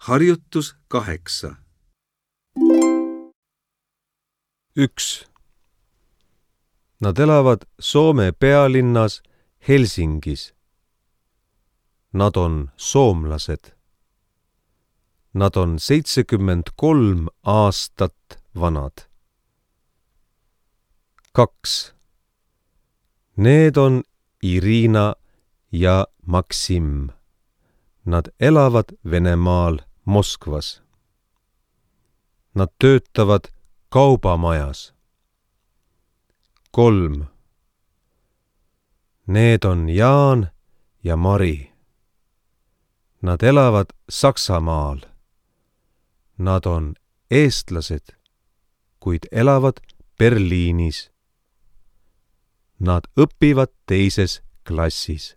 Harjutus 8. 1. Nad elavad Soome pealinnas Helsingis. Nad on soomlased. Nad on 73 aastat vanad. 2. Need on Irina ja Maksim. Nad elavad Venemaal Moskvas. Nad töötavad kaubamajas. 3. Need on Jaan ja Mari. Nad elavad Saksamaal. Nad on eestlased, kuid elavad Berliinis. Nad õpivad teises klassis.